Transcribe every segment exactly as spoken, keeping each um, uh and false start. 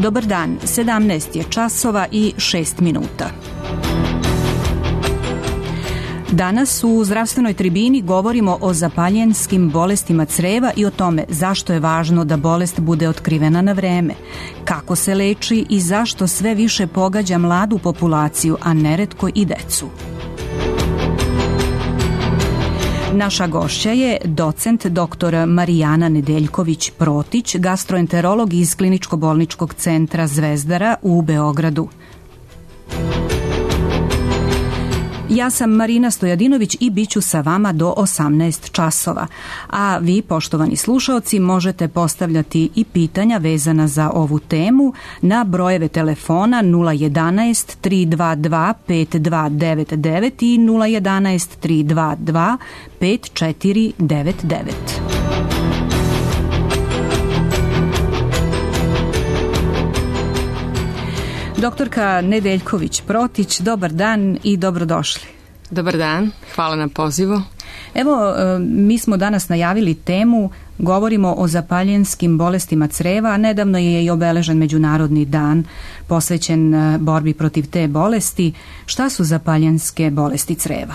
Dobar dan, sedamnaest je časova i šest minuta. Danas u zdravstvenoj tribini govorimo o zapaljenskim bolestima creva i o tome zašto je važno da bolest bude otkrivena na vreme, kako se leči i zašto sve više pogađa mladu populaciju, a neretko i decu. Naša gošća je docent doktor Marijana Nedeljković-Protić, gastroenterolog iz Kliničko-bolničkog centra Zvezdara u Beogradu. Ja sam Marina Stojadinović i bit ću sa vama do osamnaest časova. A vi, poštovani slušaoci, možete postavljati i pitanja vezana za ovu temu na brojeve telefona nula jedanaest tri dva dva pet dva devet devet i nula jedanaest tri dva dva pet četiri devet devet. Doktorka Nedeljković-Protić, dobar dan i dobrodošli. Dobar dan, hvala na pozivu. Evo, mi smo danas najavili temu, govorimo o zapaljenskim bolestima creva, a nedavno je i obeležen Međunarodni dan posvećen borbi protiv te bolesti. Šta su zapaljenske bolesti creva?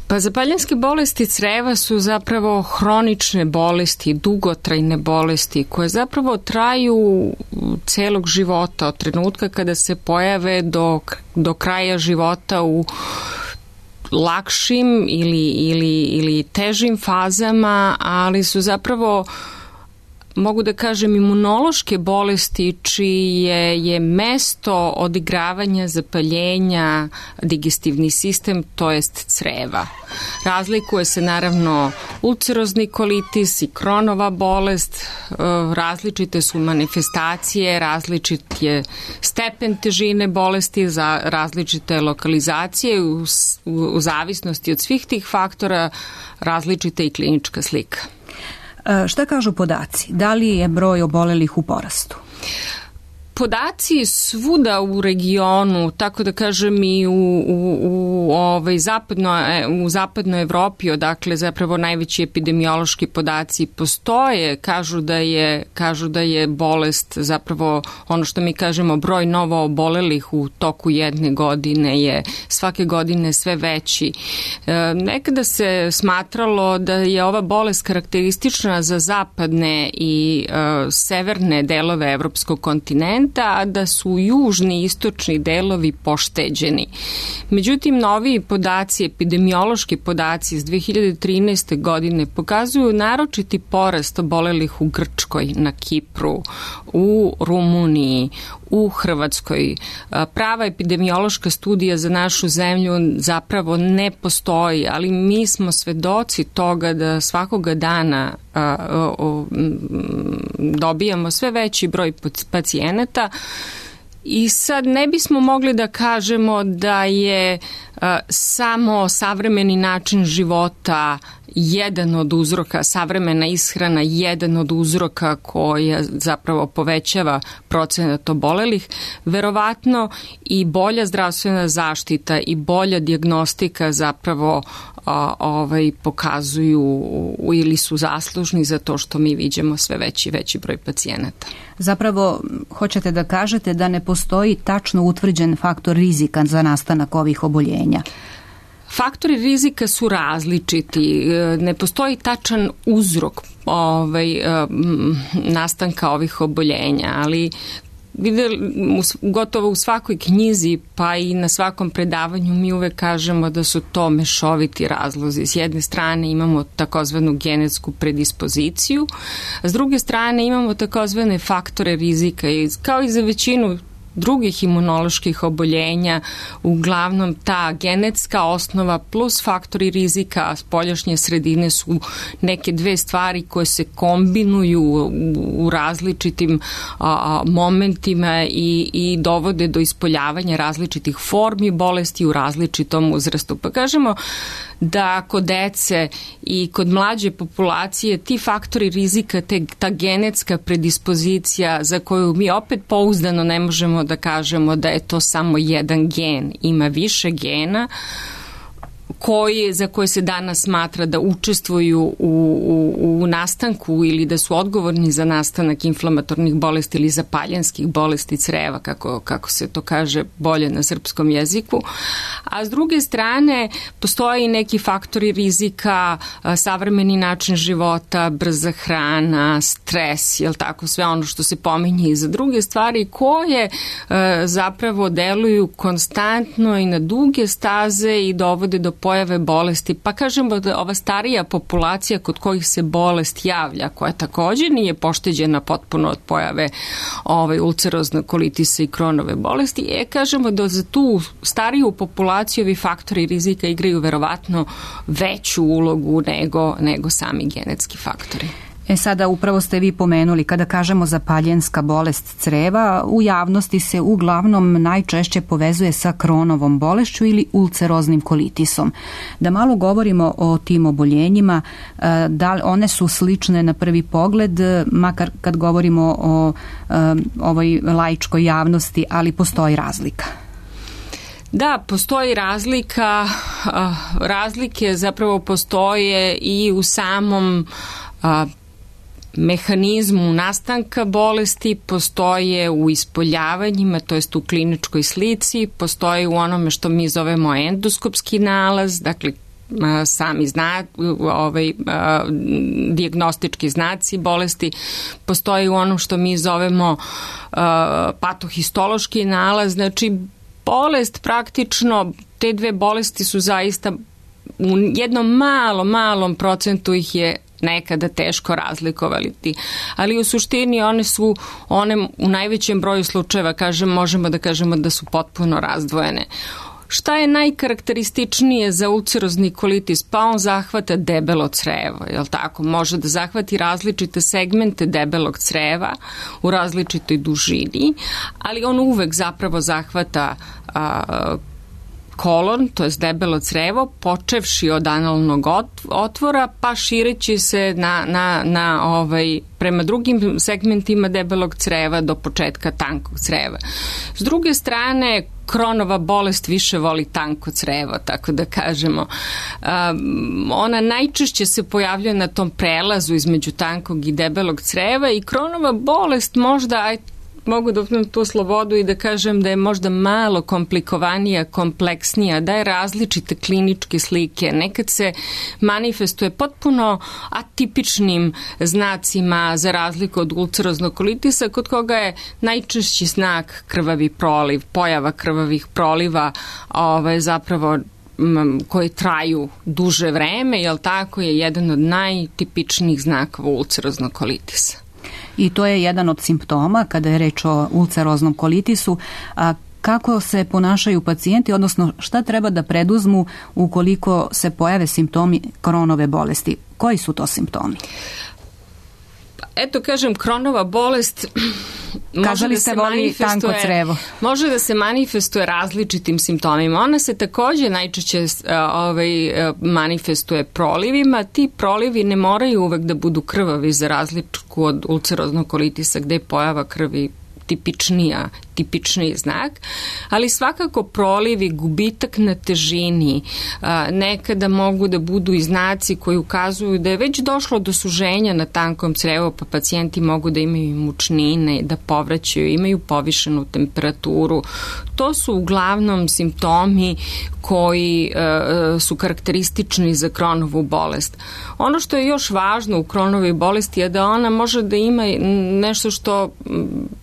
Pa zapaljenske bolesti creva su zapravo hronične bolesti, dugotrajne bolesti koje zapravo traju celog života, od trenutka kada se pojave do, do kraja života u lakšim ili, ili, ili težim fazama, ali su zapravo, mogu da kažem, imunološke bolesti čije je mesto odigravanja zapaljenja digestivni sistem, to jest creva. Razlikuje se naravno ulcerozni kolitis i Kronova bolest, različite su manifestacije, različit je stepen težine bolesti za različite lokalizacije, u, u zavisnosti od svih tih faktora različita i klinička slika. Šta kažu podaci? Da li je broj obolelih u porastu? Podaci svuda u regionu, tako da kažem i u, u, u, ovaj, zapadno, u zapadnoj Evropi, odakle zapravo najveći epidemiološki podaci postoje, kažu da je, kažu da je bolest zapravo ono što mi kažemo broj novo obolelih u toku jedne godine je svake godine sve veći. E, nekada se smatralo da je ova bolest karakteristična za zapadne i e, severne delove evropskog kontinenta, a da su južni i istočni delovi pošteđeni. Međutim, noviji podaci, epidemiološki podaci iz dve hiljade trinaeste. godine pokazuju naročiti porast obolelih u Grčkoj, na Kipru, u Rumuniji, u Hrvatskoj. Prava epidemiološka studija za našu zemlju zapravo ne postoji, ali mi smo svedoci toga da svakoga dana a, a, a, dobijamo sve veći broj pacijenata. I sad ne bismo mogli da kažemo da je a, samo savremeni način života jedan od uzroka, savremena ishrana jedan od uzroka koja zapravo povećava procenat obolelih. Verovatno i bolja zdravstvena zaštita i bolja dijagnostika zapravo a, ovaj, pokazuju ili su zaslužni za to što mi viđamo sve veći veći broj pacijenata. Zapravo, hoćete da kažete da ne postoji tačno utvrđen faktor rizika za nastanak ovih oboljenja? Faktori rizika su različiti, ne postoji tačan uzrok ovaj, nastanka ovih oboljenja, ali videli, gotovo u svakoj knjizi pa i na svakom predavanju mi uvek kažemo da su to mešoviti razlozi. S jedne strane imamo takozvanu genetsku predispoziciju, a s druge strane imamo takozvane faktore rizika i kao i za većinu drugih imunoloških oboljenja, uglavnom ta genetska osnova plus faktori rizika spoljašnje sredine su neke dve stvari koje se kombinuju u, u različitim a, momentima i, i dovode do ispoljavanja različitih formi bolesti u različitom uzrastu. Pa kažemo da kod dece i kod mlađe populacije ti faktori rizika, te, ta genetska predispozicija za koju mi opet pouzdano ne možemo da kažemo da je to samo jedan gen, ima više gena koje, za koje se danas smatra da učestvuju u, u, u nastanku ili da su odgovorni za nastanak inflamatornih bolesti ili zapaljenskih bolesti creva, kako, kako se to kaže bolje na srpskom jeziku. A s druge strane, postoje i neki faktori rizika, savremeni način života, brza hrana, stres, jel tako, sve ono što se pominje i za druge stvari koje zapravo deluju konstantno i na duge staze i dovode do pojave bolesti. Pa kažemo da ova starija populacija kod kojih se bolest javlja, koja također nije pošteđena potpuno od pojave ovaj, ulceroznog kolitisa i Kronove bolesti, e, kažemo da za tu stariju populaciju ovi faktori rizika igraju verovatno veću ulogu nego, nego sami genetski faktori. E sada upravo ste vi pomenuli, kada kažemo zapaljenska bolest creva, u javnosti se uglavnom najčešće povezuje sa Kronovom bolešću ili ulceroznim kolitisom. Da malo govorimo o tim oboljenjima, da one su slične na prvi pogled, makar kad govorimo o ovoj laičkoj javnosti, ali postoji razlika. Da, postoji razlika, razlike zapravo postoje i u samom mehanizmu nastanka bolesti, postoje u ispoljavanjima, to jest u kliničkoj slici, postoje u onome što mi zovemo endoskopski nalaz, dakle sami zna, ovaj, dijagnostički znaci bolesti, postoji u onom što mi zovemo patohistološki nalaz, znači bolest praktično, te dve bolesti su zaista u jednom malom, malom procentu ih je nekada teško razlikovati, ali u suštini one su, one u najvećem broju slučajeva, kažem, možemo da kažemo da su potpuno razdvojene. Šta je najkarakterističnije za ulcerozni kolitis? Pa on zahvata debelo crevo, jel tako? Može da zahvati različite segmente debelog creva u različitoj dužini, ali on uvek zapravo zahvata a, kolon, to je debelo crevo, počevši od analnog otvora, pa šireći se na, na, na ovaj, prema drugim segmentima debelog creva do početka tankog creva. S druge strane, Kronova bolest više voli tanko crevo, tako da kažemo. Um, ona najčešće se pojavljuje na tom prelazu između tankog i debelog creva i Kronova bolest možda, aj, mogu da uzmem tu slobodu i da kažem da je možda malo komplikovanija, kompleksnija, da je različite kliničke slike. Nekad se manifestuje potpuno atipičnim znacima za razliku od ulceroznog kolitisa, kod koga je najčešći znak krvavi proliv, pojava krvavih proliva, ovaj, zapravo koji traju duže vreme, jel tako, je jedan od najtipičnijih znakova ulceroznog kolitisa. I to je jedan od simptoma kada je reč o ulceroznom kolitisu. A kako se ponašaju pacijenti, odnosno šta treba da preduzmu ukoliko se pojave simptomi Kronove bolesti? Koji su to simptomi? Eto, kažem, Kronova bolest Kažali da ste voli tanko crevo. Može da se manifestuje različitim simptomima. Ona se također najčešće ovaj, manifestuje prolivima. Ti prolivi ne moraju uvek da budu krvavi za razliku od ulceroznog kolitisa gde je pojava krvi tipičnija, tipičniji znak, ali svakako prolivi, gubitak na težini, nekada mogu da budu i znaci koji ukazuju da je već došlo do suženja na tankom crevu, pa pacijenti mogu da imaju mučnine, da povraćaju, imaju povišenu temperaturu. To su uglavnom simptomi koji e, su karakteristični za Kronovu bolest. Ono što je još važno u Kronovoj bolesti je da ona može da ima nešto što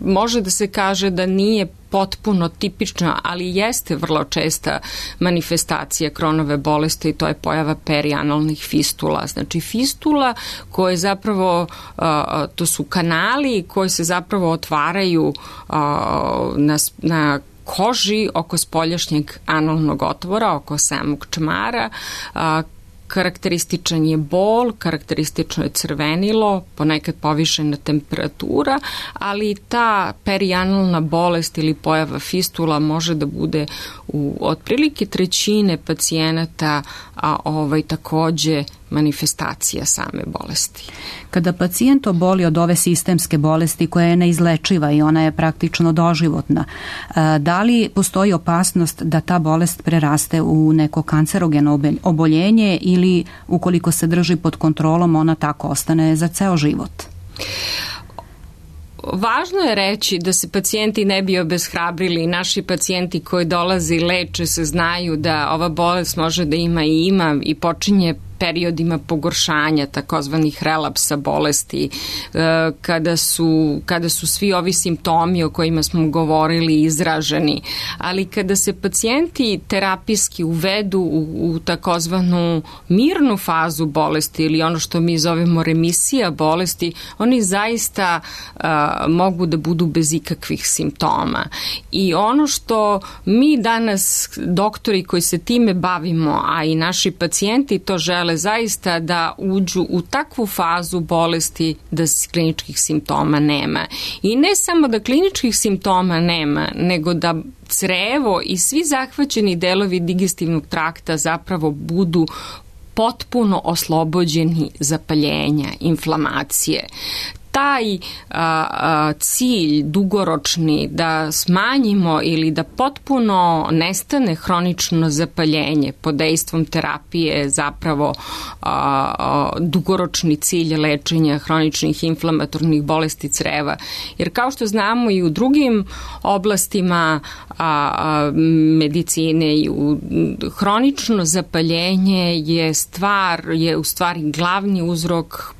može da se kaže da nije potpuno tipična, ali jeste vrlo česta manifestacija Kronove bolesti i to je pojava perianalnih fistula. Znači fistula koje zapravo, to su kanali koji se zapravo otvaraju na, na koži oko spoljašnjeg analnog otvora, oko samog čmara, Karakterističan je bol, karakteristično je crvenilo, ponekad povišena temperatura, ali ta perianalna bolest ili pojava fistula može da bude u otprilike trećine pacijenata, a ovaj takođe manifestacija same bolesti. Kada pacijent oboli od ove sistemske bolesti koja je neizlečiva i ona je praktično doživotna, da li postoji opasnost da ta bolest preraste u neko kancerogeno oboljenje ili ukoliko se drži pod kontrolom ona tako ostane za ceo život? Važno je reći da se pacijenti ne bi obeshrabrili. Naši pacijenti koji dolaze i leče se znaju da ova bolest može da ima i ima i počinje periodima pogoršanja, takozvanih relapsa bolesti, kada su, kada su svi ovi simptomi o kojima smo govorili izraženi. Ali kada se pacijenti terapijski uvedu u, u takozvanu mirnu fazu bolesti ili ono što mi zovemo remisija bolesti, oni zaista a, mogu da budu bez ikakvih simptoma. I ono što mi danas, doktori koji se time bavimo, a i naši pacijenti to žele zaista da uđu u takvu fazu bolesti da kliničkih simptoma nema. I ne samo da kliničkih simptoma nema, nego da crevo i svi zahvaćeni delovi digestivnog trakta zapravo budu potpuno oslobođeni zapaljenja, inflamacije. Taj a, a, cilj dugoročni da smanjimo ili da potpuno nestane hronično zapaljenje pod dejstvom terapije zapravo a, a, dugoročni cilj lečenja hroničnih inflamatornih bolesti creva. Jer kao što znamo i u drugim oblastima a, a, medicine i u hronično zapaljenje je stvar, je u stvari glavni uzrok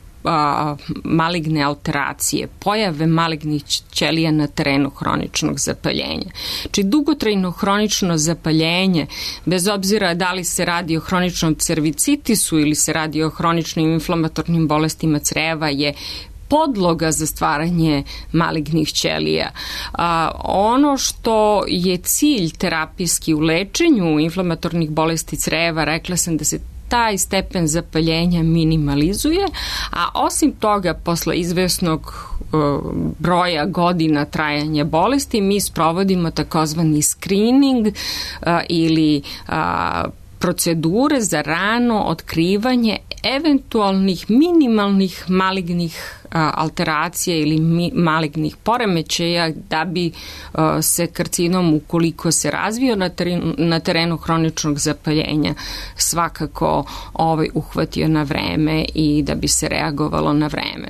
maligne alteracije, pojave malignih ćelija na terenu hroničnog zapaljenja. Či dugotrajno hronično zapaljenje, bez obzira da li se radi o hroničnom cervicitisu ili se radi o hroničnim inflamatornim bolestima creva, je podloga za stvaranje malignih ćelija. A, ono što je cilj terapijski u lečenju inflamatornih bolesti creva, rekla sam da se taj stepen zapaljenja minimalizuje, a osim toga, posle izvesnog uh, broja godina trajanja bolesti, mi sprovodimo takozvani screening uh, ili uh, procedure za rano otkrivanje eventualnih minimalnih malignih a, alteracija ili mi, malignih poremećaja da bi a, se karcinom, ukoliko se razvio na terenu, na terenu hroničnog zapaljenja, svakako ovaj, uhvatio na vreme i da bi se reagovalo na vreme.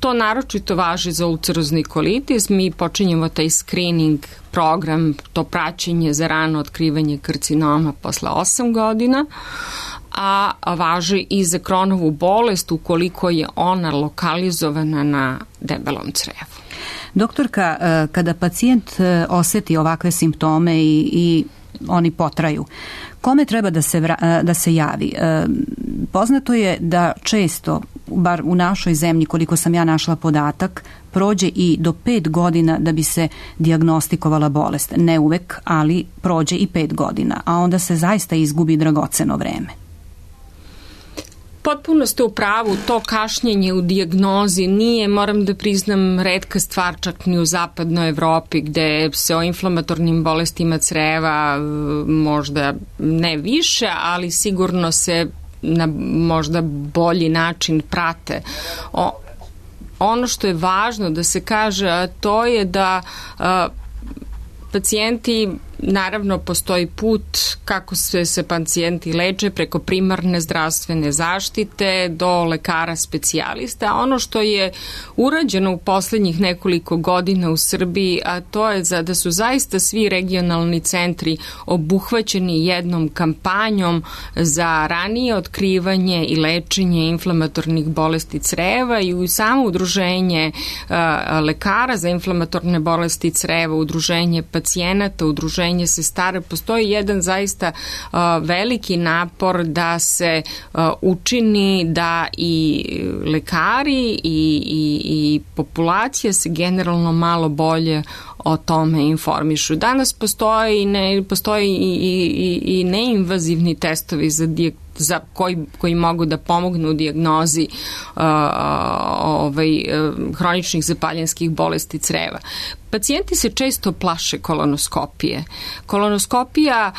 To naročito važi za ulcerozni kolitis. Mi počinjemo taj screening program, to praćenje za rano otkrivanje karcinoma posle osam godina, a važi i za Crohnovu bolest ukoliko je ona lokalizovana na debelom crevu. Doktorka, kada pacijent oseti ovakve simptome i, i oni potraju, kome treba da se, vra, da se javi? Poznato je da često, bar u našoj zemlji, koliko sam ja našla podatak, prođe i do pet godina da bi se dijagnostikovala bolest. Ne uvek, ali prođe i pet godina, a onda se zaista izgubi dragoceno vreme. Potpuno ste u pravu, to kašnjenje u dijagnozi nije, moram da priznam, retka stvar čak ni u zapadnoj Evropi, gde se o inflamatornim bolestima creva možda ne više, ali sigurno se na možda bolji način prate. O, ono što je važno da se kaže, a to je da a, pacijenti, naravno postoji put kako se se pacijenti leče preko primarne zdravstvene zaštite do lekara specijalista. Ono što je urađeno u poslednjih nekoliko godina u Srbiji, a to je za, da su zaista svi regionalni centri obuhvaćeni jednom kampanjom za ranije otkrivanje i lečenje inflamatornih bolesti creva i u samo udruženje a, lekara za inflamatorne bolesti creva, udruženje pacijenata, udruženje sestara, postoji jedan zaista uh, veliki napor da se uh, učini da i lekari i, i, i populacija se generalno malo bolje o tome informišu. Danas postoji, ne, postoji i, i, i neinvazivni testovi za, dijag, za koji, koji mogu da pomognu u dijagnozi uh, ovaj, hroničnih zapaljenskih bolesti creva. Pacijenti se često plaše kolonoskopije. Kolonoskopija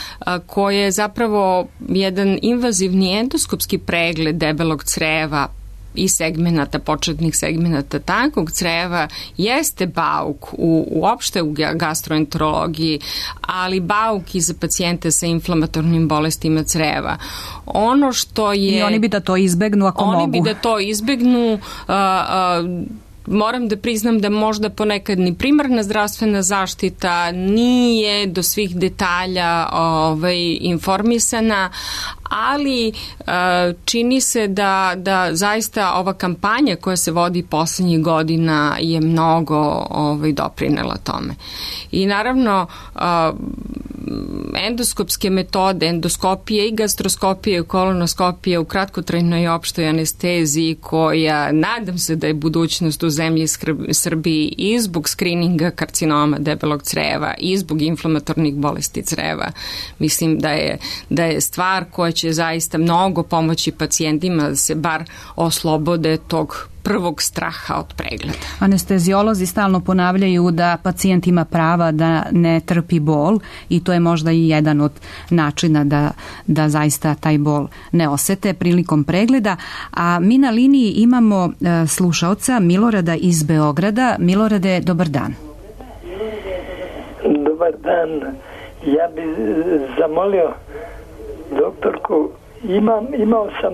koja je zapravo jedan invazivni endoskopski pregled debelog creva i segmenata, početnih segmenata tankog creva, jeste bauk u, uopšte u gastroenterologiji, ali bauk i za pacijente sa inflamatornim bolestima creva. Ono što je... I oni bi da to izbegnu ako oni mogu. Oni bi da to izbegnu... Uh, uh, Moram da priznam da možda ponekad ni primarna zdravstvena zaštita nije do svih detalja ovaj, informisana, ali uh, čini se da, da zaista ova kampanja koja se vodi poslednjih godina je mnogo ovaj, doprinela tome. I naravno uh, endoskopske metode, endoskopije i gastroskopije i kolonoskopije u kratkotrajnoj i opštoj anesteziji koja nadam se da je budućnost u zemlji Srbiji i zbog skrininga karcinoma debelog creva i zbog inflamatornih bolesti creva. Mislim da je, da je stvar koja će zaista mnogo pomoći pacijentima da se bar oslobode tog prvog straha od pregleda. Anesteziolozi stalno ponavljaju da pacijent ima prava da ne trpi bol i to je možda i jedan od načina da, da zaista taj bol ne osete prilikom pregleda. A mi na liniji imamo e, slušaoca Milorada iz Beograda. Milorade, dobar dan. Dobar dan. Ja bih zamolio doktorku, imam, imao sam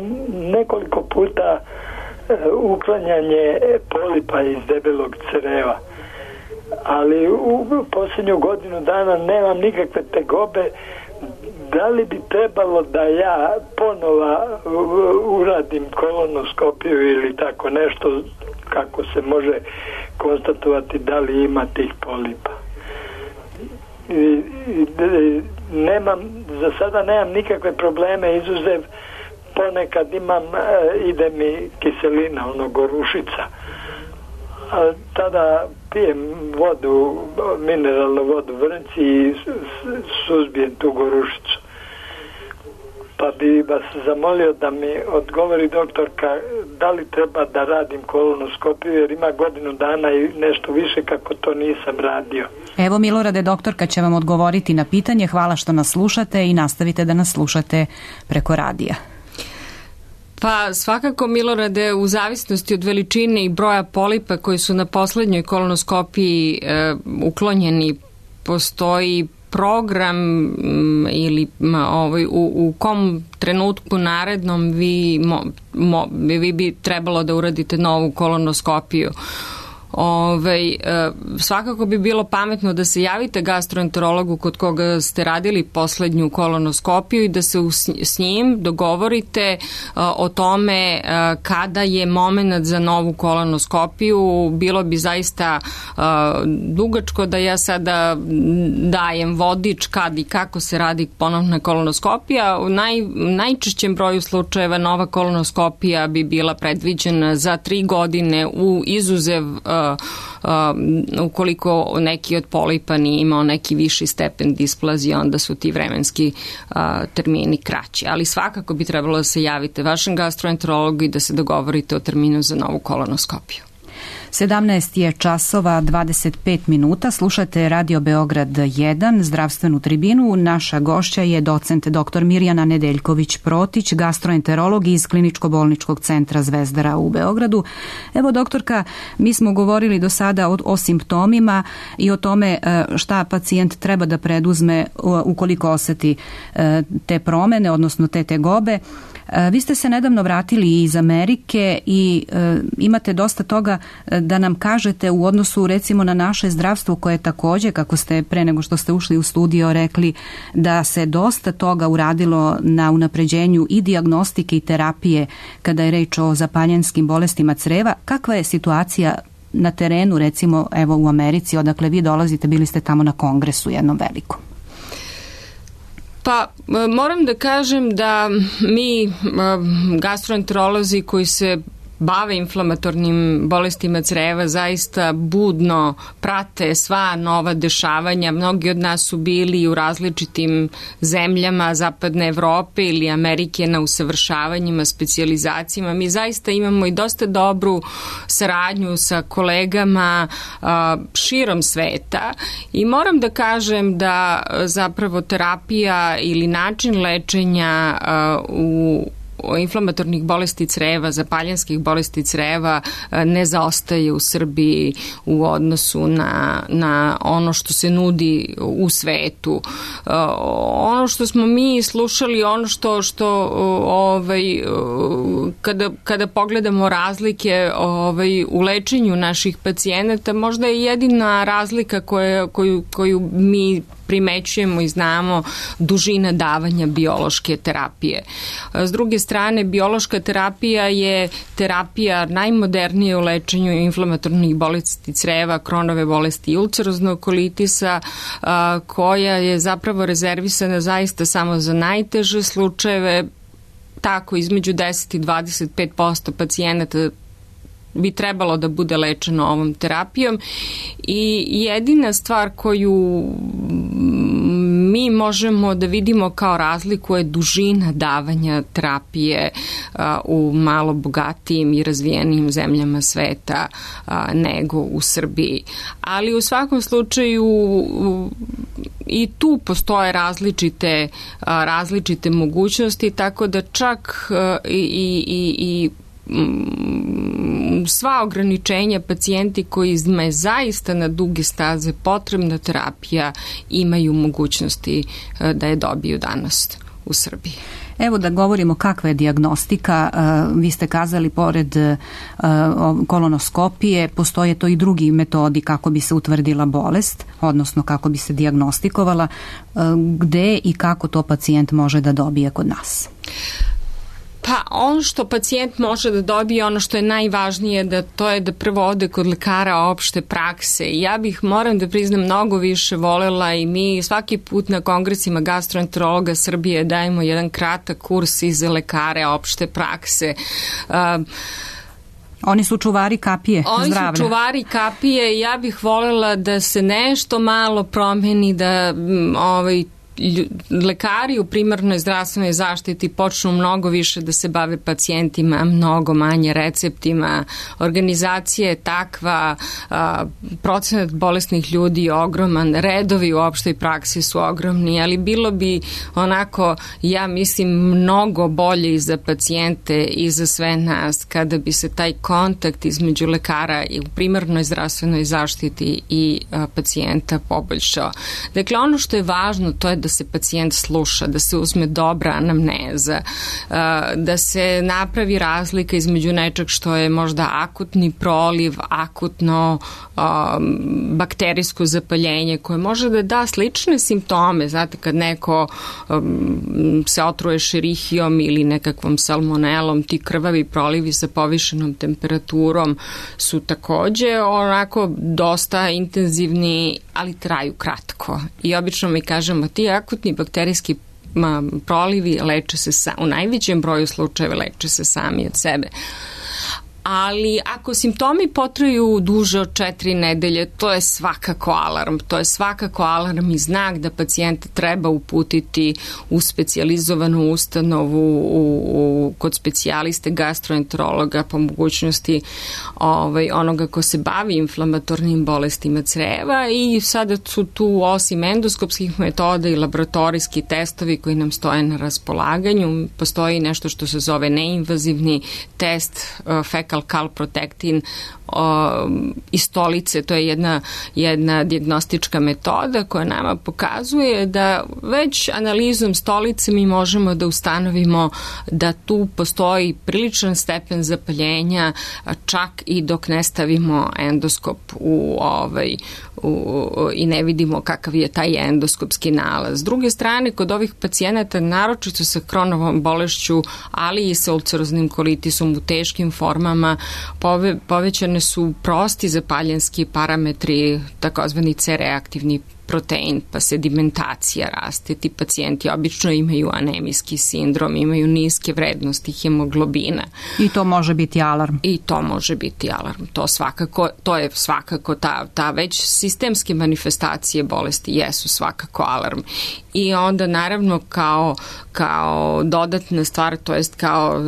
nekoliko puta uklanjanje polipa iz debelog creva, ali u posljednju godinu dana nemam nikakve tegobe. Da li bi trebalo da ja ponova uradim kolonoskopiju ili tako nešto, kako se može konstatovati da li ima tih polipa? I, i, nemam, za sada nemam nikakve probleme, izuzev ponekad imam, ide mi kiselina, ono gorušica. A tada pijem vodu, mineralnu vodu vrnci i suzbijem tu gorušicu. Pa bi vas zamolio da mi odgovori doktorka da li treba da radim kolonoskopiju, jer ima godinu dana i nešto više kako to nisam radio. Evo Milorade, doktorka će vam odgovoriti na pitanje. Hvala što nas slušate i nastavite da nas slušate preko radija. Pa svakako, Milorade, u zavisnosti od veličine i broja polipa koji su na poslednjoj kolonoskopiji e, uklonjeni, postoji program m, ili m, ovaj, u, u kom trenutku narednom vi, mo, mo, vi bi trebalo da uradite novu kolonoskopiju. Ove, e, svakako bi bilo pametno da se javite gastroenterologu kod koga ste radili poslednju kolonoskopiju i da se us, s njim dogovorite e, o tome e, kada je moment za novu kolonoskopiju. Bilo bi zaista e, dugačko da ja sada dajem vodič kad i kako se radi ponovna kolonoskopija. U naj, najčešćem broju slučajeva nova kolonoskopija bi bila predviđena za tri godine u izuzev e, Uh, ukoliko neki od polipa nije imao neki viši stepen displazije, onda su ti vremenski uh, termini kraći. Ali svakako bi trebalo da se javite vašem gastroenterologu i da se dogovorite o terminu za novu kolonoskopiju. sedamnaest je časova dvadeset pet minuta. Slušate Radio Beograd jedan, zdravstvenu tribinu. Naša gošća je docent doktor Mirjana Nedeljković-Protić, gastroenterolog iz Kliničko-bolničkog centra Zvezdara u Beogradu. Evo, doktorka, mi smo govorili do sada o, o simptomima i o tome šta pacijent treba da preduzme ukoliko oseti te promene, odnosno te tegobe. Vi ste se nedavno vratili iz Amerike i e, imate dosta toga da nam kažete u odnosu recimo na naše zdravstvo koje takođe, kako ste pre nego što ste ušli u studio rekli, da se dosta toga uradilo na unapređenju i dijagnostike i terapije kada je reč o zapaljenskim bolestima creva. Kakva je situacija na terenu, recimo evo u Americi, odakle vi dolazite, bili ste tamo na kongresu jednom velikom? Pa moram da kažem da mi gastroenterolozi koji se bave inflamatornim bolestima creva zaista budno prate sva nova dešavanja. Mnogi od nas su bili u različitim zemljama Zapadne Evrope ili Amerike na usavršavanjima, specijalizacijama. Mi zaista imamo i dosta dobru saradnju sa kolegama a, širom sveta i moram da kažem da zapravo terapija ili način lečenja a, u inflamatornih bolesti creva, zapaljenskih bolesti creva ne zaostaje u Srbiji u odnosu na, na ono što se nudi u svetu. Ono što smo mi slušali, ono što, što ovaj, kada, kada pogledamo razlike ovaj, u lečenju naših pacijenata, možda je jedina razlika koja, koju, koju mi primećujemo i znamo dužina davanja biološke terapije. S druge strane, biološka terapija je terapija najmodernije u lečenju inflamatornih bolesti creva, Kronove bolesti i ulceroznog kolitisa, koja je zapravo rezervisana zaista samo za najteže slučajeve. Tako, između deset i dvadeset pet posto pacijenata bi trebalo da bude lečeno ovom terapijom i jedina stvar koju mi možemo da vidimo kao razliku je dužina davanja terapije a, u malo bogatijim i razvijenim zemljama sveta a, nego u Srbiji. Ali u svakom slučaju u, i tu postoje različite, a, različite mogućnosti, tako da čak a, i, i, i sva ograničenja pacijenti koji je zaista na duge staze potrebna terapija imaju mogućnosti da je dobiju danas u Srbiji. Evo da govorimo kakva je dijagnostika. Vi ste kazali pored kolonoskopije postoje to i drugi metodi kako bi se utvrdila bolest, odnosno kako bi se dijagnostikovala. Gde i kako to pacijent može da dobije kod nas? Pa ono što pacijent može da dobije, ono što je najvažnije, da to je da prvo ode kod lekara opšte prakse. Ja bih, moram da priznam, mnogo više volela i mi svaki put na kongresima gastroenterologa Srbije dajemo jedan kratak kurs i za lekare opšte prakse. Uh, Oni su čuvari kapije Oni zdravlja. Oni su čuvari kapije i ja bih volela da se nešto malo promeni, da ovaj lekari u primarnoj zdravstvenoj zaštiti počnu mnogo više da se bave pacijentima, mnogo manje receptima. Organizacija je takva, a, procenat bolesnih ljudi je ogroman, redovi u opštoj praksi su ogromni, ali bilo bi onako, ja mislim, mnogo bolje i za pacijente i za sve nas kada bi se taj kontakt između lekara i u primarnoj zdravstvenoj zaštiti i a, pacijenta poboljšao. Dakle, ono što je važno to je da se pacijent sluša, da se uzme dobra anamneza, da se napravi razlika između nečeg što je možda akutni proliv, akutno bakterijsko zapaljenje koje može da da slične simptome. Znate, kad neko se otruje šerihijom ili nekakvom salmonelom, ti krvavi prolivi sa povišenom temperaturom su takođe onako dosta intenzivni, ali traju kratko. I obično mi kažemo, ti akutni bakterijski prolivi leče se sa, u najvećem broju slučajeva leče se sami od sebe. Ali ako simptomi potraju duže od četiri nedelje, to je svakako alarm. To je svakako alarm i znak da pacijenta treba uputiti u specijalizovanu ustanovu, u, u, kod specijaliste gastroenterologa, po mogućnosti ovaj, onoga ko se bavi inflamatornim bolestima creva. I sada su tu, osim endoskopskih metoda i laboratorijski testovi koji nam stoje na raspolaganju, postoji nešto što se zove neinvazivni test uh, fecal calprotectin iz stolice. To je jedna, jedna dijagnostička metoda koja nama pokazuje da već analizom stolice mi možemo da ustanovimo da tu postoji priličan stepen zapaljenja, čak i dok ne stavimo endoskop u ovaj u, i ne vidimo kakav je taj endoskopski nalaz. S druge strane, kod ovih pacijenata, naročito sa Kronovom bolešću, ali i sa ulceroznim kolitisom u teškim formama, pove, povećane su prosti zapaljenski parametri, takozvani C reaktivni protein, pa sedimentacija raste. Ti pacijenti obično imaju anemijski sindrom, imaju niske vrednosti hemoglobina. I to može biti alarm. I to može biti alarm. To svakako, to je svakako ta, ta već sistemske manifestacije bolesti jesu svakako alarm. I onda naravno kao, kao dodatna stvar, to jest kao uh,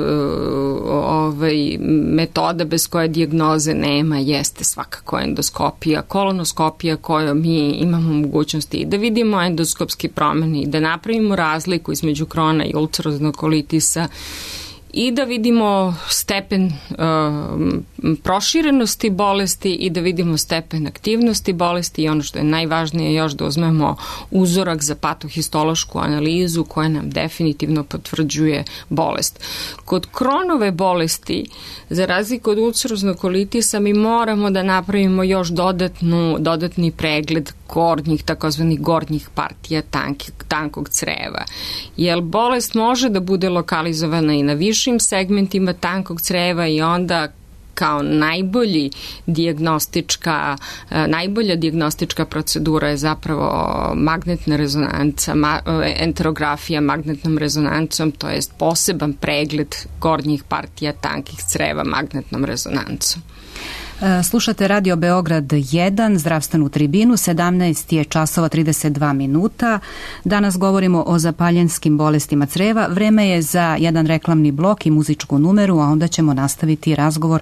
ovaj, metoda bez koje dijagnoze nema, jeste svakako endoskopija, kolonoskopija koju mi imamo mogućnosti i da vidimo endoskopski promene i da napravimo razliku između krona i ulceroznog kolitisa i da vidimo stepen uh, proširenosti bolesti i da vidimo stepen aktivnosti bolesti i ono što je najvažnije još da uzmemo uzorak za patohistološku analizu koja nam definitivno potvrđuje bolest. Kod Kronove bolesti, za razliku od ulceroznog kolitisa, mi moramo da napravimo još dodatnu, dodatni pregled gornjih, takozvanih gornjih partija tanki, tankog creva. Jer bolest može da bude lokalizovana i na višim segmentima tankog creva i onda kao najbolji dijagnostička, najbolja dijagnostička procedura je zapravo magnetna rezonanca, ma, enterografija magnetnom rezonancom, to jest poseban pregled gornjih partija tankih creva magnetnom rezonancom. Slušate Radio Beograd jedan, zdravstvenu tribinu, sedamnaest je časova trideset dva minuta. Danas govorimo o zapaljenskim bolestima creva. Vreme je za jedan reklamni blok i muzičku numeru, a onda ćemo nastaviti razgovor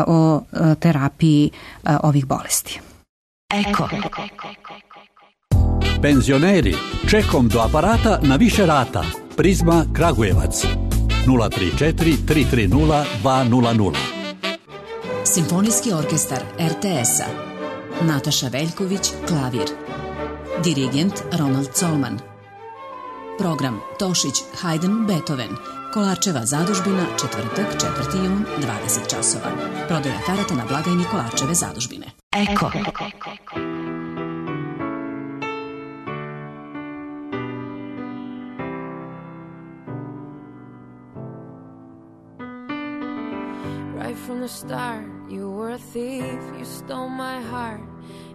o terapiji ovih bolesti. Eko. Penzioneri, čekom do aparata na više rata. Prizma Kragujevac. nula tri četiri tri tri nula dva nula nula. Simfonijski orkestar er te es-a. Nataša Veljković, klavir. Dirigent Ronald Colman. Program Tošić, Haydn, Beethoven. Kolarčeva zadužbina, četvrtak, četvrti jun, dvadeset časova. Prodaja karata na blagajni Kolarčeve zadužbine. Eko. Right from the start, you were a thief, you stole my heart,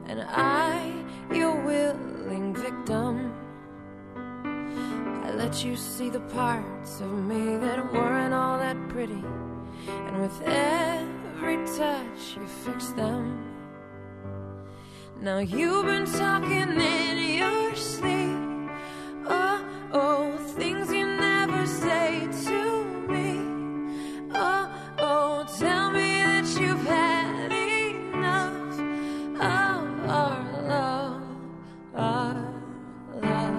and I, your willing victim. I let you see the parts of me that weren't all that pretty, and with every touch you fixed them. Now you've been talking in your sleep, oh, oh, things you never say to me, oh, oh, tell me that you've had enough of our love, our love.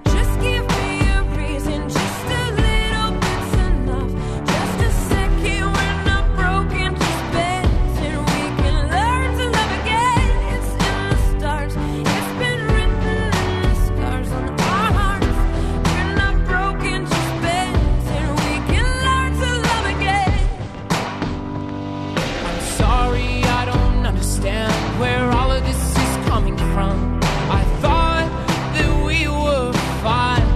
Just give me a reason, just a little bit's enough. Just a second, we're not broken, just bends, and we can learn to love again. It's in the stars, it's been written in the scars on our hearts. We're not broken, just bends, and we can learn to love again. I'm sorry, I don't understand where all of this is coming from. I thought that we were fine.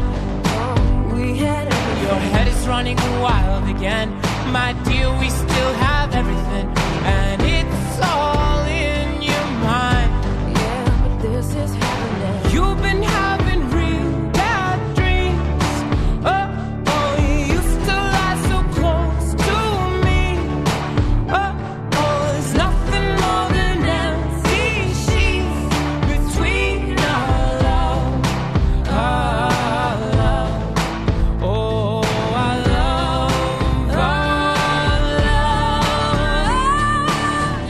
We had everything. Your head is running wild again. My dear, we still have everything, and it's all in your mind. Yeah, but this is happening. You've been having real bad dreams. Oh, oh, you used to lie so close to me. Oh, oh, there's nothing more than empty sheets between our love, our love. Oh, our love, our love.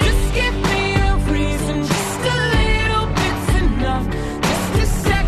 Just give me a reason, just a little bit's enough. Just a second.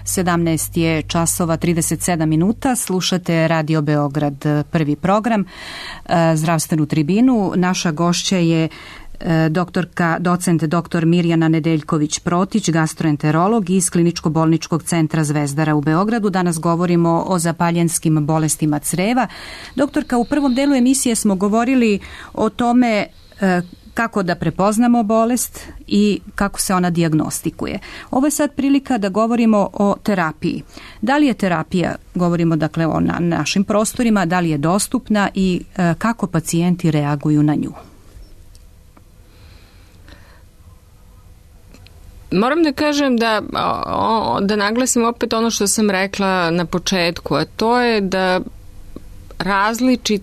sedamnaest je časova trideset sedam minuta. Slušate Radio Beograd, prvi program, zdravstvenu tribinu. Naša gošća je doktorka, docent doktor Mirjana Nedeljković-Protić, gastroenterolog iz Kliničko-bolničkog centra Zvezdara u Beogradu. Danas govorimo o zapaljenskim bolestima creva. Doktorka, u prvom delu emisije smo govorili o tome kako da prepoznamo bolest i kako se ona dijagnostikuje. Ovo je sad prilika da govorimo o terapiji. Da li je terapija, govorimo dakle o na našim prostorima, da li je dostupna i kako pacijenti reaguju na nju? Moram da kažem da, da naglasim opet ono što sam rekla na početku, a to je da različit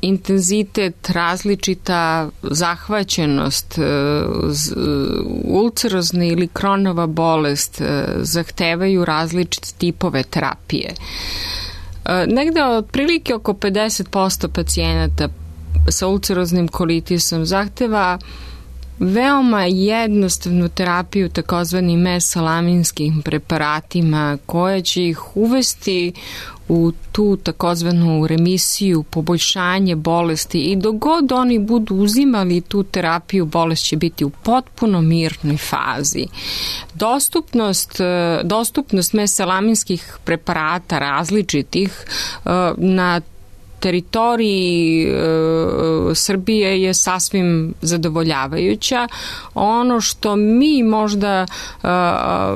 intenzitet, različita zahvaćenost, ulcerozna ili Kronova bolest zahtevaju različite tipove terapije. Negde otprilike oko pedeset posto pacijenata sa ulceroznim kolitisom zahteva veoma jednostavnu terapiju takozvanim mesalaminskim preparatima koja će ih uvesti u tu takozvanu remisiju, poboljšanje bolesti i dok god oni budu uzimali tu terapiju, bolest će biti u potpuno mirnoj fazi. Dostupnost, dostupnost mesalaminskih preparata različitih na teritoriji e, Srbije je sasvim zadovoljavajuća. Ono što mi možda e,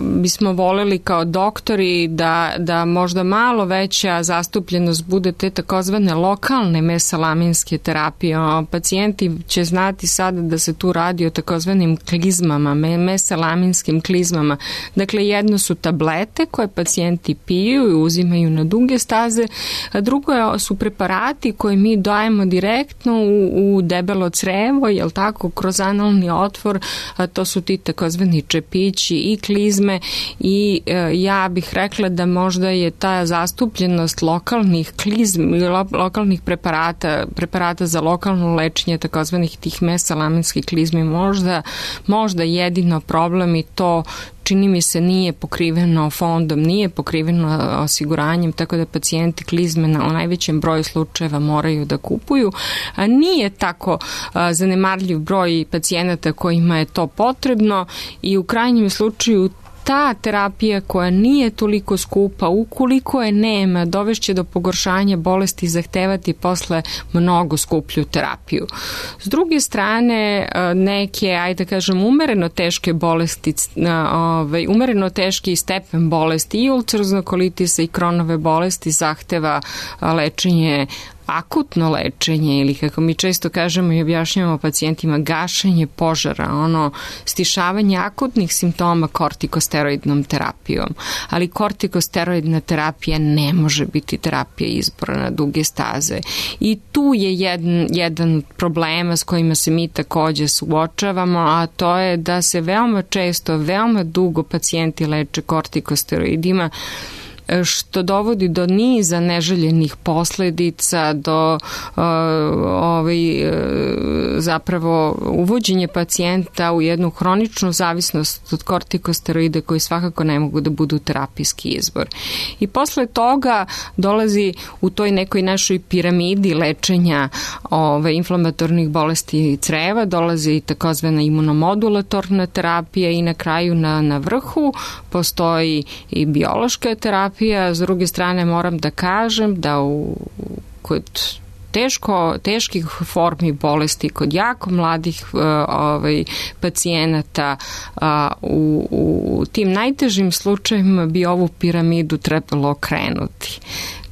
bismo voleli kao doktori da, da možda malo veća zastupljenost bude te takozvane lokalne mesalaminske terapije. O, pacijenti će znati sada da se tu radi o takozvanim klizmama, mesalaminskim klizmama. Dakle, jedno su tablete koje pacijenti piju i uzimaju na duge staze, a drugo su preparati koje mi dajemo direktno u, u debelo crevo, jel tako, kroz analni otvor, a to su ti takozvani čepići i klizme i e, ja bih rekla da možda je ta zastupljenost lokalnih klizmi, lo, lokalnih preparata, preparata za lokalno lečenje takozvanih tih mesalaminskih klizmi možda, možda jedino problem i to čini mi se nije pokriveno fondom, nije pokriveno osiguranjem, tako da pacijenti klizme na, u najvećem broju slučajeva moraju da kupuju. A nije tako a, zanemarljiv broj pacijenata kojima je to potrebno i u krajnjem slučaju ta terapija koja nije toliko skupa, ukoliko je nema, dovešće do pogoršanja bolesti i zahtevati posle mnogo skuplju terapiju. S druge strane, neke, ajde da kažem, umereno teške bolesti, ovaj, umereno teški stepen bolesti i ulceroznog kolitisa i Kronove bolesti zahteva lečenje, akutno lečenje ili kako mi često kažemo i objašnjavamo pacijentima, gašenje požara, ono stišavanje akutnih simptoma kortikosteroidnom terapijom. Ali kortikosteroidna terapija ne može biti terapija izbora na duge staze. I tu je jedan, jedan od problema s kojima se mi takođe suočavamo, a to je da se veoma često, veoma dugo pacijenti leče kortikosteroidima, što dovodi do niza neželjenih posledica, do uh, ovaj, uh, zapravo uvođenje pacijenta u jednu hroničnu zavisnost od kortikosteroida koji svakako ne mogu da budu terapijski izbor. I posle toga dolazi u toj nekoj našoj piramidi lečenja ovaj, inflamatornih bolesti creva, dolazi i takozvana imunomodulatorna terapija i na kraju na, na vrhu postoji i biološka terapija. S druge strane moram da kažem da u, kod teško, teških formi bolesti, kod jako mladih uh, ovaj, pacijenata uh, u, u tim najtežim slučajevima bi ovu piramidu trebalo okrenuti.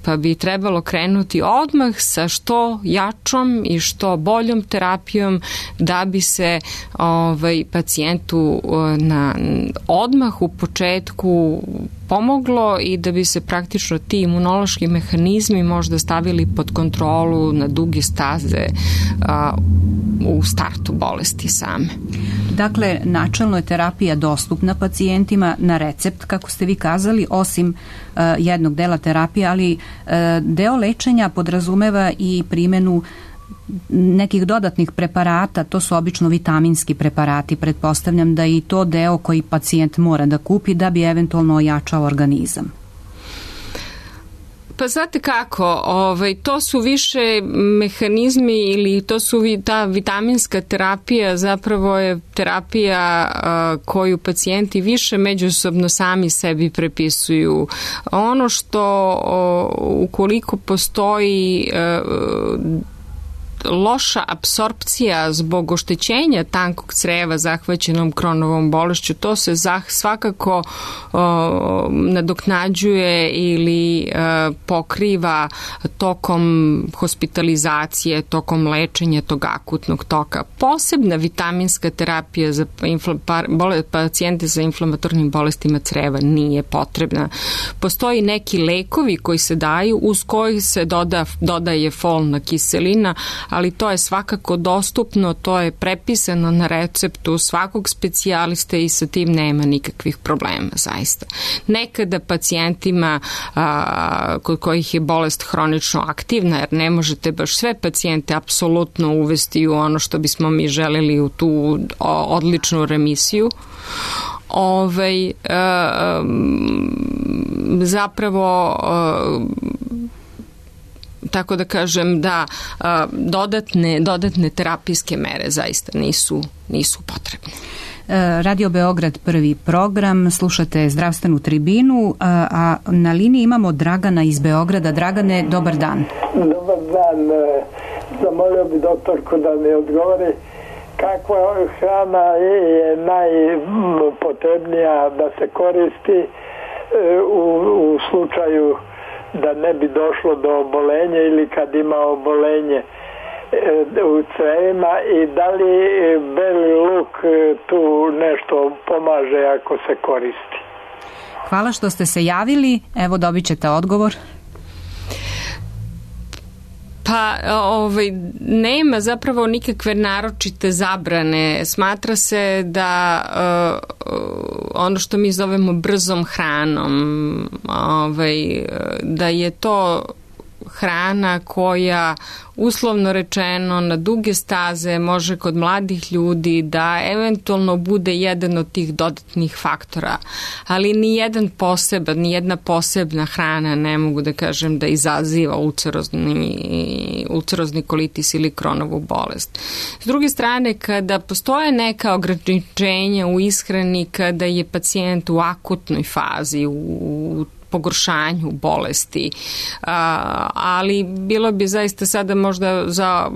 Pa bi trebalo krenuti odmah sa što jačom i što boljom terapijom da bi se ovaj, pacijentu na, odmah u početku pomoglo i da bi se praktično ti imunološki mehanizmi možda stavili pod kontrolu na duge staze a, u startu bolesti same. Dakle, načelno je terapija dostupna pacijentima na recept, kako ste vi kazali, osim uh, jednog dela terapije, ali uh, deo lečenja podrazumeva i primjenu nekih dodatnih preparata, to su obično vitaminski preparati, pretpostavljam da i to deo koji pacijent mora da kupi da bi eventualno ojačao organizam. Pa znate kako, ovaj, to su više mehanizmi ili to su ta vitaminska terapija, zapravo je terapija a, koju pacijenti više međusobno sami sebi prepisuju. Ono što o, ukoliko postoji a, loša apsorpcija zbog oštećenja tankog creva zahvaćenom Crohnovom bolešću, to se zah, svakako o, nadoknađuje ili o, pokriva tokom hospitalizacije, tokom lečenja tog akutnog toka. Posebna vitaminska terapija za infla, bole, pacijente sa inflamatornim bolestima creva nije potrebna. Postoji neki lekovi koji se daju uz koji se doda, dodaje folna kiselina, ali to je svakako dostupno, to je prepisano na receptu svakog specijaliste i sa tim nema nikakvih problema, zaista. Nekada pacijentima a, kod kojih je bolest hronično aktivna, jer ne možete baš sve pacijente apsolutno uvesti u ono što bismo mi želeli, u tu o, odličnu remisiju, Ovaj, a, zapravo a, tako da kažem da a, dodatne, dodatne terapijske mere zaista nisu, nisu potrebne. Radio Beograd, prvi program, slušate Zdravstvenu tribinu, a, a na liniji imamo Dragana iz Beograda. Dragane, dobar dan. Dobar dan. Zamolio bi doktorku da mi odgovori kakva hrana je najpotrebnija da se koristi u, u slučaju da ne bi došlo do obolenja ili kad ima obolenje u crevima, i da li beli luk tu nešto pomaže ako se koristi? Hvala što ste se javili, evo dobit ćete odgovor. Pa ovaj, nema zapravo nikakve naročite zabrane. Smatra se da uh, ono što mi zovemo brzom hranom, ovaj, da je to hrana koja uslovno rečeno na duge staze može kod mladih ljudi da eventualno bude jedan od tih dodatnih faktora, ali ni jedan poseban, ni jedna posebna hrana ne mogu da kažem da izaziva ulcerozni, ulcerozni kolitis ili Crohnovu bolest. S druge strane, kada postoje neka ograničenja u ishrani, kada je pacijent u akutnoj fazi, u pogoršanju bolesti, a, ali bilo bi zaista sada možda za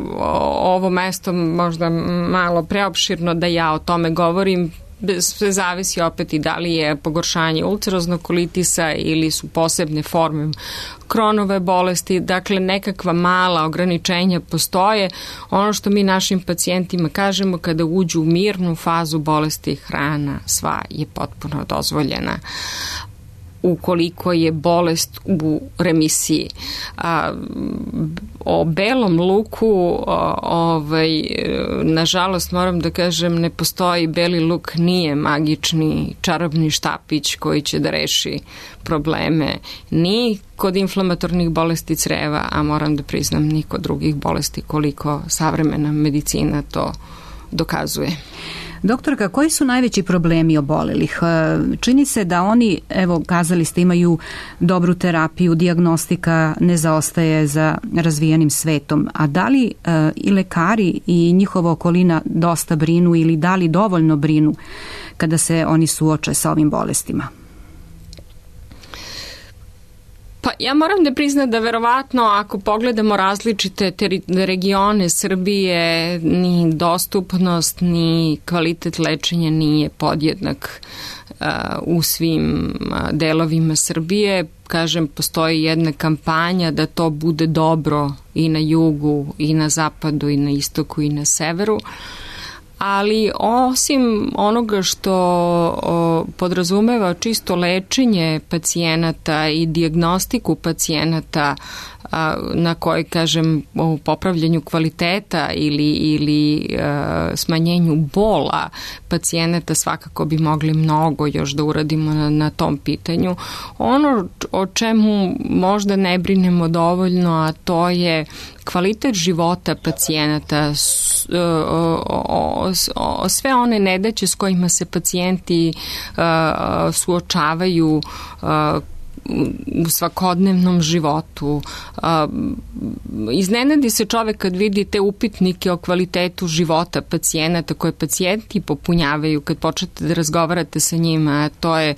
ovo mesto možda malo preopširno da ja o tome govorim. Sve zavisi opet i da li je pogoršanje ulceroznog kolitisa ili su posebne forme Crohnove bolesti, dakle nekakva mala ograničenja postoje. Ono što mi našim pacijentima kažemo, kada uđu u mirnu fazu bolesti, hrana sva je potpuno dozvoljena ukoliko je bolest u remisiji. A, o belom luku, o, ovaj, nažalost moram da kažem, ne postoji. Beli luk nije magični čarobni štapić koji će da reši probleme ni kod inflamatornih bolesti creva, a moram da priznam ni kod drugih bolesti, koliko savremena medicina to dokazuje. Doktorka, koji su najveći problemi obolelih? Čini se da oni, evo, kazali ste, imaju dobru terapiju, dijagnostika ne zaostaje za razvijenim svetom, a da li e, i lekari i njihova okolina dosta brinu ili da li dovoljno brinu kada se oni suoče sa ovim bolestima? Pa ja moram da priznam da verovatno ako pogledamo različite teri- regione Srbije, ni dostupnost ni kvalitet lečenja nije podjednak uh, u svim uh, delovima Srbije. Kažem, postoji jedna kampanja da to bude dobro i na jugu, i na zapadu, i na istoku, i na severu. Ali osim onoga što o, podrazumeva čisto lečenje pacijenata i dijagnostiku pacijenata, na kojoj, kažem, u popravljanju kvaliteta ili, ili smanjenju bola pacijenata svakako bi mogli mnogo još da uradimo na, na tom pitanju. Ono o čemu možda ne brinemo dovoljno, a to je kvalitet života pacijenata, sve one nedaće s kojima se pacijenti suočavaju u svakodnevnom životu. Iznenadi se čovek kad vidi te upitnike o kvalitetu života pacijenata koje pacijenti popunjavaju kad počnete da razgovarate sa njima. To je,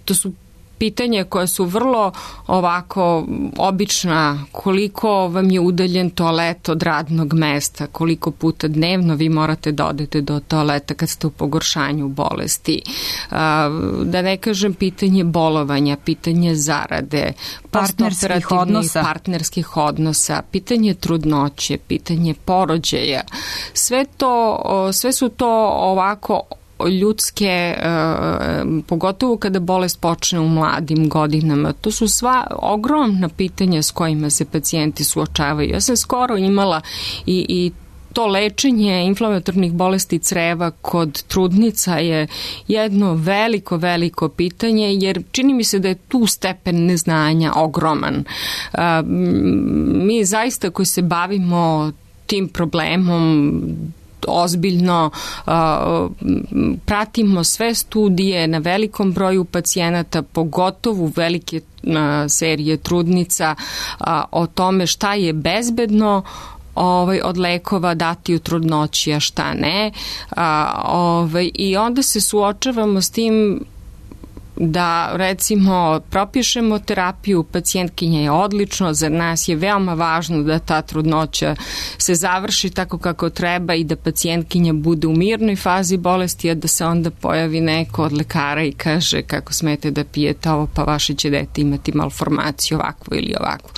to su pitanja koja su vrlo ovako obična, koliko vam je udaljen toalet od radnog mesta, koliko puta dnevno vi morate da odete do toaleta kad ste u pogoršanju bolesti. Da ne kažem pitanje bolovanja, pitanje zarade, partnerskih odnosa. partnerskih odnosa, pitanje trudnoće, pitanje porođaja. Sve to, sve su to ovako ljudske, pogotovo kada bolest počne u mladim godinama. To su sva ogromna pitanja s kojima se pacijenti suočavaju. Ja sam skoro imala i, i to lečenje inflamatornih bolesti creva kod trudnica je jedno veliko, veliko pitanje, jer čini mi se da je tu stepen neznanja ogroman. Mi zaista koji se bavimo tim problemom ozbiljno uh, pratimo sve studije na velikom broju pacijenata, pogotovo velike uh, serije trudnica uh, o tome šta je bezbedno ovaj, od lekova dati u trudnoći, a šta ne. Uh, ovaj, I onda se suočavamo s tim da recimo propišemo terapiju, pacijentkinja je odlično, za nas je veoma važno da ta trudnoća se završi tako kako treba i da pacijentkinja bude u mirnoj fazi bolesti, a da se onda pojavi neko od lekara i kaže kako smete da pijete ovo, pa vaše će dete imati malformaciju ovakvu ili ovakvu.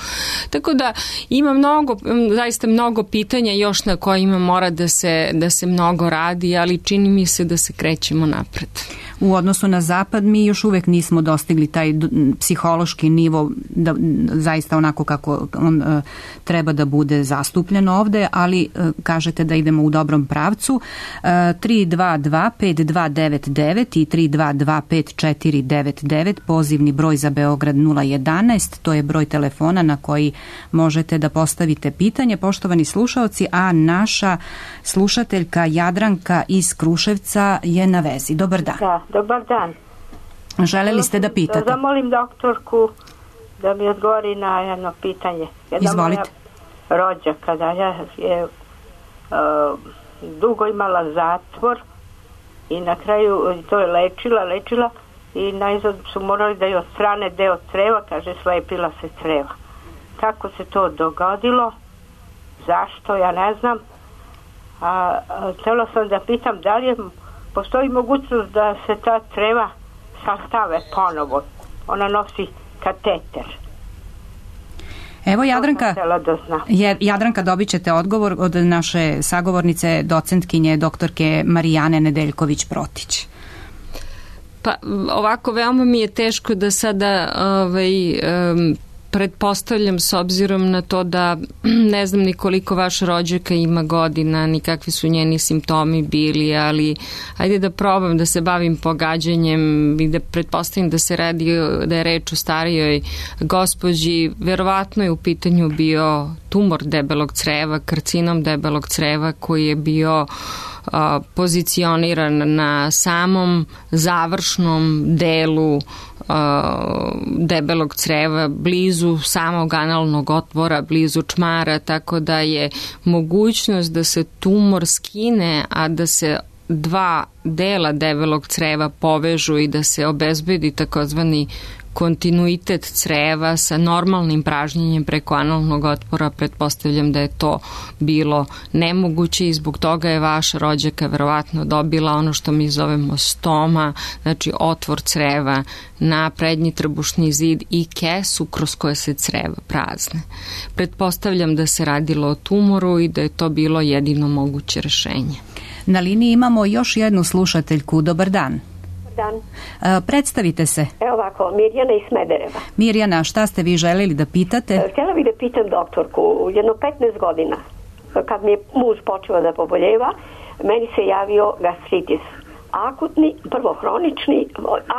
Tako da ima mnogo, zaista mnogo pitanja još na kojima mora da se, da se mnogo radi, ali čini mi se da se krećemo napred. U odnosu na zapad mi još uvek nismo dostigli taj psihološki nivo da zaista onako kako on uh, treba da bude zastupljen ovde, ali uh, kažete da idemo u dobrom pravcu. Uh, tri dva dva pet dva devet devet i tri dva dva pet četiri devet devet, pozivni broj za Beograd nula jedanaest, to je broj telefona na koji možete da postavite pitanje, poštovani slušaoci, a naša slušateljka Jadranka iz Kruševca je na vezi. Dobar dan. Da, dobar dan. Želeli ste da pitate? Da zamolim doktorku da mi odgovori na jedno pitanje. Jedna Izvolite. Moja rođaka, da ja je uh, dugo imala zatvor i na kraju to je lečila, lečila i najzad su morali da je odstrane deo creva, kaže slepila se creva. Kako se to dogodilo? Zašto? Ja ne znam. A, a htjela sam da pitam da li je, postoji mogućnost da se ta creva sastave ponovo. Ona nosi kateter. Evo Jadranka, je, Jadranka dobit ćete odgovor od naše sagovornice, docentkinje, doktorke Marijane Nedeljković-Protić. Pa ovako, veoma mi je teško da sada ovaj, um, pretpostavljam s obzirom na to da ne znam ni koliko vaša rođaka ima godina, ni kakvi su njeni simptomi bili, ali ajde da probam da se bavim pogađanjem i da pretpostavim da se radi, da je reč o starijoj gospođi. Verovatno je u pitanju bio tumor debelog creva, karcinom debelog creva koji je bio a, pozicioniran na samom završnom delu debelog creva, blizu samog analnog otvora, blizu čmara, tako da je mogućnost da se tumor skine, a da se dva dela debelog creva povežu i da se obezbedi takozvani kontinuitet creva sa normalnim pražnjenjem preko analnog otvora, pretpostavljam da je to bilo nemoguće i zbog toga je vaša rođaka verovatno dobila ono što mi zovemo stoma, znači otvor creva na prednji trbušni zid i kesu kroz koje se creva prazne. Pretpostavljam da se radilo o tumoru i da je to bilo jedino moguće rešenje. Na liniji imamo još jednu slušateljku. Dobar dan. dan. E, predstavite se. Evo ovako, Mirjana iz Smedereva. Mirjana, šta ste vi željeli da pitate? E, htjela bih da pitam doktorku, jedno petnaest godina, kad mi je muž počeo da poboljeva, meni se javio gastritis. Akutni, prvo hronični,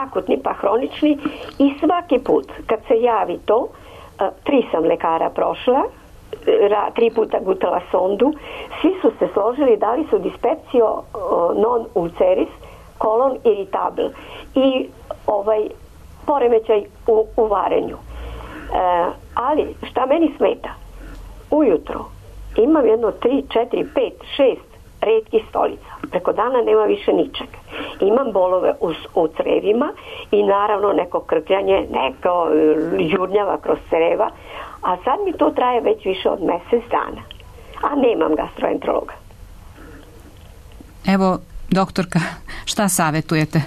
akutni pa hronični i svaki put kad se javi to, tri sam lekara prošla, tri puta gutala sondu, svi su se složili, dali su dispepsio non ulceris, kolon irritabile i ovaj poremećaj u, u varenju. E, ali šta meni smeta? Ujutro imam jedno tri, četiri, pet, šest retkih stolica. Preko dana nema više ničeg. Imam bolove u, u crevima i naravno neko krkljanje, neko jurnjava kroz creva, a sad mi to traje već više od mjesec dana. A nemam gastroenterologa. Evo, doktorka, šta savjetujete?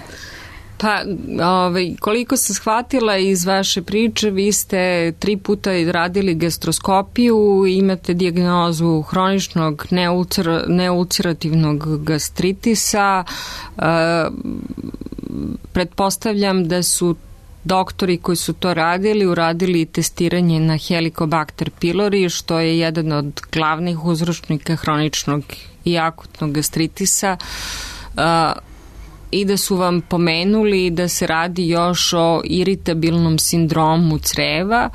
Pa, ovaj, koliko sam shvatila iz vaše priče, vi ste tri puta radili gastroskopiju, imate dijagnozu hroničnog neulcer, neulcerativnog gastritisa. E, pretpostavljam da su doktori koji su to radili uradili testiranje na Helicobacter pylori, što je jedan od glavnih uzročnika hroničnog i akutnog gastritisa. E, i da su vam pomenuli da se radi još o iritabilnom sindromu creva,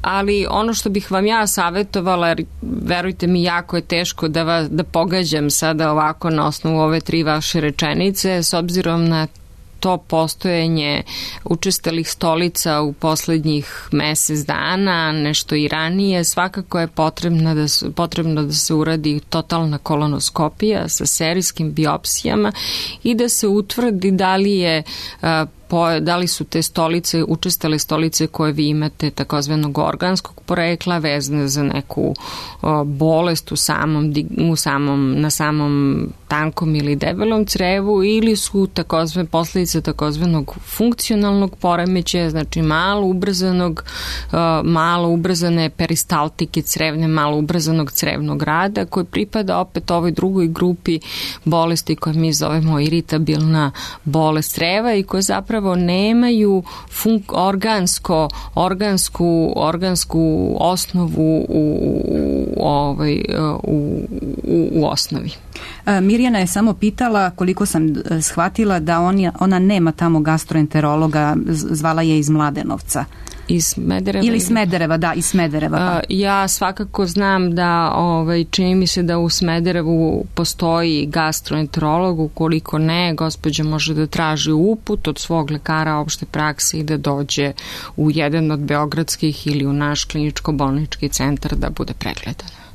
ali ono što bih vam ja savjetovala, jer verujte mi, jako je teško da, vas, da pogađam sada ovako na osnovu ove tri vaše rečenice, s obzirom na to postojanje učestalih stolica u poslednjih mesec dana, nešto i ranije, svakako je potrebno da, su, potrebno da se uradi totalna kolonoskopija sa serijskim biopsijama i da se utvrdi da li je Po, da li su te stolice, učestale stolice koje vi imate takozvanog organskog porekla vezane za neku o, bolest u samom, u samom, na samom tankom ili debelom crevu, ili su takozvane posljedice takozvanog funkcionalnog poremećaja, znači malo ubrzanog, o, malo ubrzane peristaltike crevne, malo ubrzanog crevnog rada, koji pripada opet ovoj drugoj grupi bolesti koje mi zovemo iritabilna bolest creva i koje zapravo nemaju fun- organsko, organsku, organsku osnovu u, u, ovaj, u, u, u osnovi. Mirjana je samo pitala, koliko sam shvatila, da on, ona nema tamo gastroenterologa, zvala je iz Mladenovca. Iz Smedereva? Ili Smedereva, da, iz Smedereva. Pa. Ja svakako znam da, ovaj, čini mi se da u Smederevu postoji gastroenterolog, ukoliko ne, gospođa može da traži uput od svog lekara opšte prakse i da dođe u jedan od beogradskih ili u naš kliničko-bolnički centar da bude pregledana.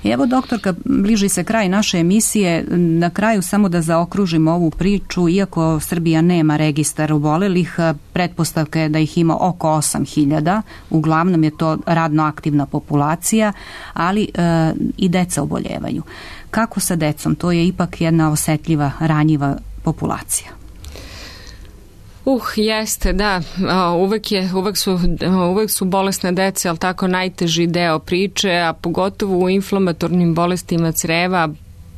Evo, doktorka, bliži se kraj naše emisije. Na kraju samo da zaokružimo ovu priču. Iako Srbija nema registar obolelih, pretpostavka je da ih ima oko osam hiljada. Uglavnom je to radno aktivna populacija, ali e, i deca oboljevaju. Kako sa decom? To je ipak jedna osetljiva, ranjiva populacija. Uh, jeste, da, uvek, je, uvek, su, uvek su bolesne dece, ali tako najteži deo priče, a pogotovo u inflamatornim bolestima creva,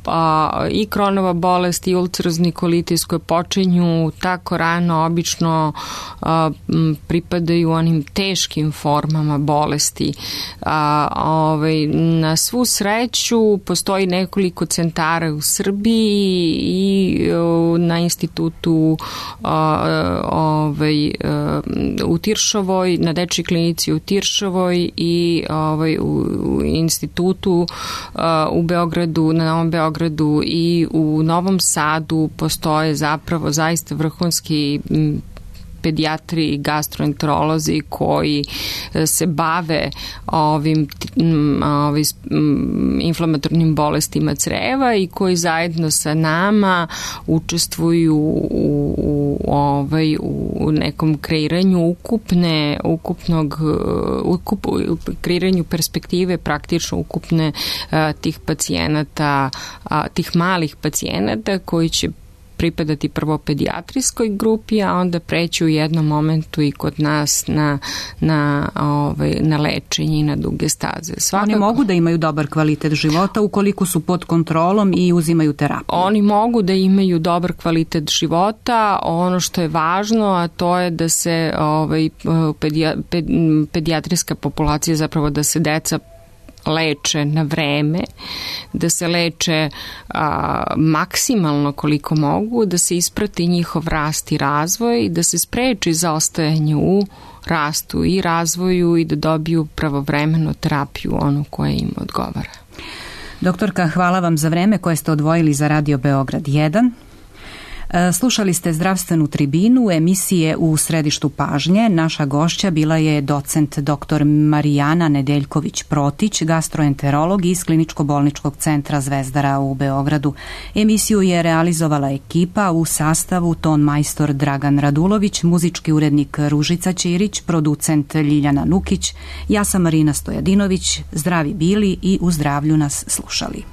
a, i Kronova bolest i ulcerozni kolitis koje počinju tako rano, obično a, m, pripadaju onim teškim formama bolesti. A, ovaj, na svu sreću postoji nekoliko centara u Srbiji i o, na institutu a, ovaj, a, u Tiršovoj, na dečjoj klinici u Tiršovoj i ovaj, u, u institutu a, u Beogradu, na Novom Beogradu i u Novom Sadu postoje zapravo zaista vrhunski pedijatri i gastroenterolozi koji se bave ovim, ovim inflamatornim bolestima creva i koji zajedno sa nama učestvuju u, u, ovaj, u nekom kreiranju ukupne, ukupnog ukup, kreiranju perspektive praktično ukupne a, tih pacijenata, a, tih malih pacijenata koji će pripadati prvo pedijatrijskoj grupi, a onda preći u jednom momentu i kod nas na, na, ovaj, na lečenje i na duge staze. Svakako, oni mogu da imaju dobar kvalitet života ukoliko su pod kontrolom i uzimaju terapiju. Oni mogu da imaju dobar kvalitet života. Ono što je važno, a to je da se ovaj, pedija, ped, pedijatrijska populacija, zapravo da se deca leče na vreme, da se leče a, maksimalno koliko mogu, da se isprati njihov rast i razvoj, da se spreči zaostajanje u rastu i razvoju i da dobiju pravovremenu terapiju, onu koja im odgovara. Doktorka, hvala vam za vreme koje ste odvojili za Radio Beograd jedan. Slušali ste zdravstvenu tribinu emisije U središtu pažnje. Naša gošća bila je docent doktor Marijana Nedeljković-Protić, gastroenterolog iz Kliničko-bolničkog centra Zvezdara u Beogradu. Emisiju je realizovala ekipa u sastavu ton majstor Dragan Radulović, muzički urednik Ružica Ćirić, producent Ljiljana Nukić. Ja sam Marina Stojadinović. Zdravi bili i u zdravlju nas slušali.